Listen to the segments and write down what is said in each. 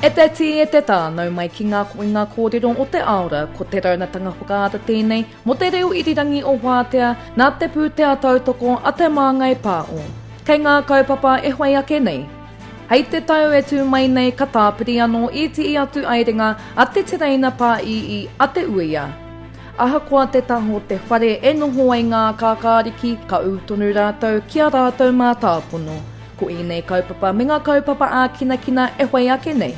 E te tī, e te tā, nau mai ki ngā koinga kōrero o te aora, ko te raunatanga whakaata tēnei mō te reo irirangi o Wātea nā te pūtea tautoko a Te Māngai Pāo. Kei ngā kaupapa e whai ake nei. Hei te tau e tū mai nei ka tāpiri anō ētehi atu aerenga a te tereina pāīī a Te Uia. Ahakoa te taha o te whare e noho ai ngā kākāriki, ka ū tonu rātou ki ā rātou mātāpono. Ko ēnei kaupapa me ngā kaupapa ākinakina e whai ake nei.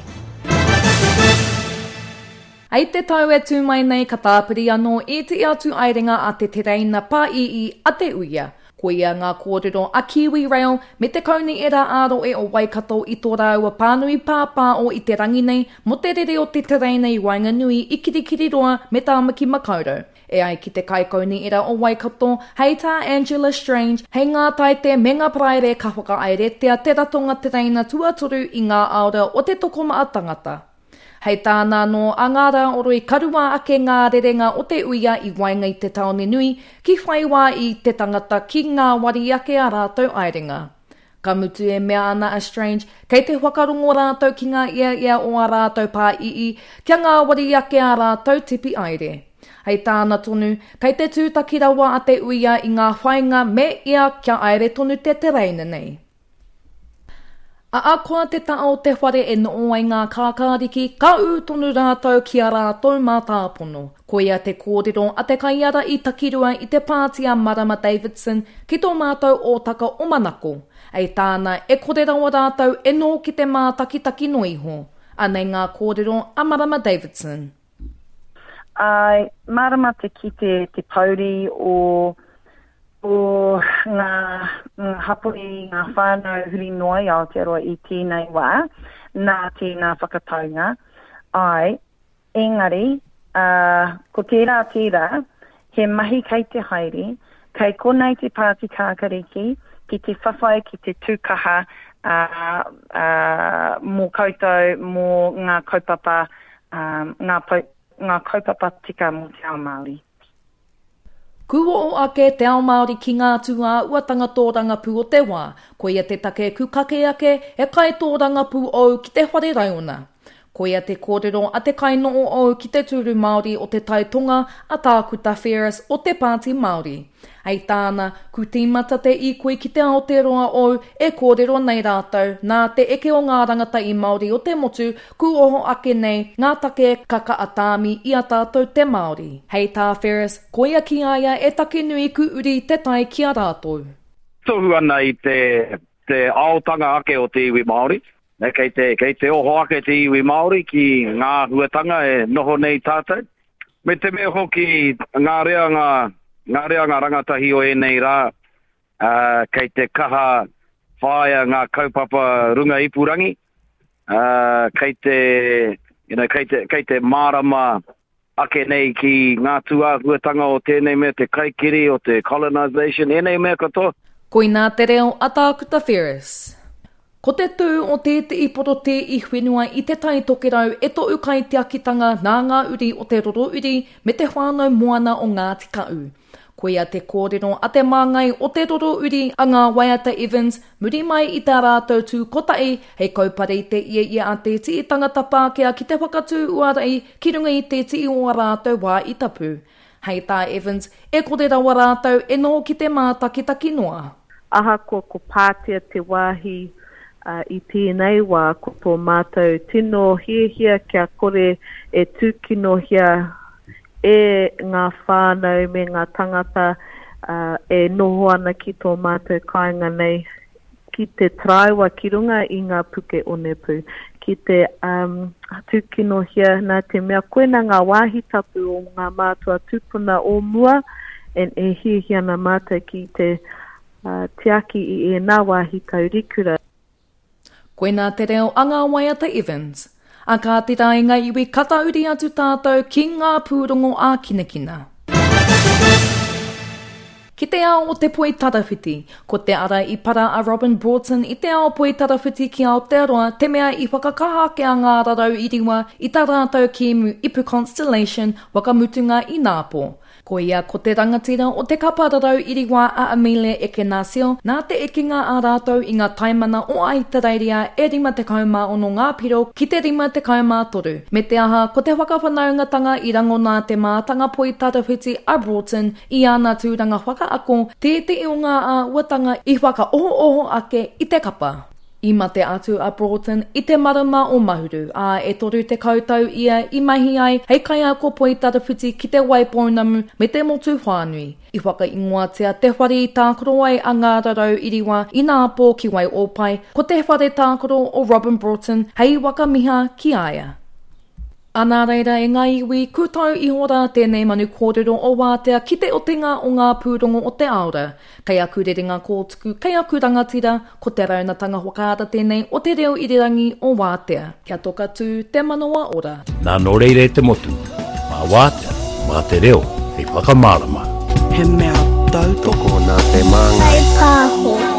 Hei te tau e tū mai nei ka tāpiri anō ētehi atu aerenga a te tereina pāīī a Te Uia. Koia ngā kōrero a Kiwi Rail me te Kaunihera ā-Rohe o Waikato i tō rāua pānui pāpāo i te rangi nei mō te rere o te tereina i waenganui i Kirikiriroa me Tāmaki Makaurau. E ai ki te Kaikaunihera o Waikato, hei tā Angela Strange, hei ngā Taite me ngā Paraire ka whakahaeretia te ratonga tereina tuatoru i ngā aora o te tokomaha tangata. Hei tāna anō, a ngā rā oroi ka rua ake ngā rerenga o te uia i waenga i te tāone nui, ki whai wā i te tangata ki ngāwari ake ā rātou aerenga. Ka mutu e mea ana a Strange, kei te whakarongo rātou ki ngā eaea o ā rātou pāīī kia ngāwari ake ā rātou tipi aere. Hei tāna tonu, kei te tūtaki rawa a te uia i ngā whāinga me ia kia aere tonu te tereina nei. Ahakoa te taha o te whare e noho ai ngā kākāriki, ka ū tonu rātou ki a rātou mātāpono. Koia te kōrero a te kaiārahi takirua i te pāti a Marama Davidson ki tō mātou ōtaka o Manako. Hei tāna, e kore rawa rātou e noho ki te mātakitaki noa iho. Anei ngā kōrero a Marama Davidson. Āe, mārama te kite te pouri o o ngā, ngā hapori, ngā whānau huri noa i Aotearoa i tēnei wā, nā tēnā whakataunga. Āe, engari, ā, ko tērā tērā, he mahi kei te haere, kei konei te Pāti Kākariki ki te whawhai, ki te tūkaha, ā, ā, mō koutou, mō ngā kaupapa, ā, ngā, ngā kaupapa tika mō te ao Māori. Kūoho ake te ao Māori ki ngā tūāhuatanga tōrangapū o te wā, koia te take ku kake ake he kaitōrangapū ou ki te whare raiona. Koia te kōrero a te kainoho ou ki te tūru Māori o Te Tai Tonga a Tākuta Ferris o te Pāti Māori. Hei tāna, ku tīmata te īkoi ki te Aotearoa ou e kōrero nei rātou, nā te eke o ngā rangatahi Māori o te motu ku oho ake nei ngā take ka kaha tāmi i a tātou te Māori. Hei tā Ferris, koia ki a ia e take nui ku uri te tae ki a rātou. Tohu ana i te te aotanga ake o te iwi Māori. Kei te, kei te oho ake te iwi Māori ki ngā āhuatanga e noho nei tātou. Me te mea hoki ngā reanga, ngā reanga rangatahi o ēnei rā, ā, kei te kaha whāia ngā kaupapa runga ipurangi, ā, kei te, you know, kei te, kei te mārama ake nei ki ngā tūāhuatanga o tēnei mea te kaikiri, o te colonisation, ēnei mea katoa. Koinā te reo a Tākuta Ferris. Ko te tū o tētehi porotē i whenua i Te Tai Tokerau e tohu kaitiakitanga nā ngā uri o Te Rorouri me te whānau moana o Ngāti Kaʻu. Koia te kōrero a te māngai o Te Rorouri a Ngā Waiata Evans muri mai i tā rātou tū kotahi hei kaupare i te ieie a te tii tangata Pākehā ki te whakatū uarai ki runga i te tii o ā rātou wā i tapu. Hei tā Evans, e kore rawa rātou e noho ki te mātakitaki noa. Ahakoa ko Pātea te wāhi i tēnei wā, ko tō mātou tino hiahia kia kore e tūkinohia e ngā whānau me ngā tangata e noho ana ki tō mātou kāinga nei ki te taraiwa ki runga i ngā puke onepū, ki te um, tūkinohia nā te mea koina ngā wāhi tapu o ngā mātua tūpuna o mua and e hiahia ana mātou ki te uh, tiaki i ēnā wāhi taurikura. Koinā te reo a ngā waiata Evans. A kāti rā i ngā iwi ka tahuri atu tātou ki ngā pūrongo ākinakina. Ki te ao o te poi tarawhiti, ko te ara i para a Robin Broughton i te ao poi tarawhiti ki Aotearoa te mea i whakakaha ake a Ngā Rarau i Riwa i tā rātou kēmu Ipu Constellation whakamutunga i Nāpo. Ko ia ko te rangatira o te kapa rarau iriwā a Amelia Ekenasio, nā te ekenga a rātou i ngā taimana o Ahitereiria e 56 ngā piro ki te 53, me te aha ko te whakawhanaungatanga i rangona te mātanga poi tarawhiti a Broughton i ana tūranga whakaako, tētehi o ngā āhuatanga i whakaohooho ake i te kapa. I mate atu a Broughton i te marama o Mahuru, ā, e 30 tau ia i mahi ai hei kaiako poitarawhiti ki Te Waipounamu me te motu whānui. I whakaingoatia te whare i tākaro ai a Ngā Rarau Iriwa ināpō ki Waiōpae, ko te whare tākaro o Robin Broughton hei whakamiha ki a ia. Ā, nā reira e ngā iwi, kūtau iho rā tēnei manu kōrero o Wātea ki te otinga o ngā pūrongo o te aora. Kei aku rerenga kōtuku, kei aku rangatira, ko te raunatanga whakaara tēnei o te reo irirangi o Wātea. Kia toka tū te manawa ora. Nā nō reira e te motu, mā Wātea, mā te reo hei whakamārama. He mea tautoko nā te māngai. Kaipāho.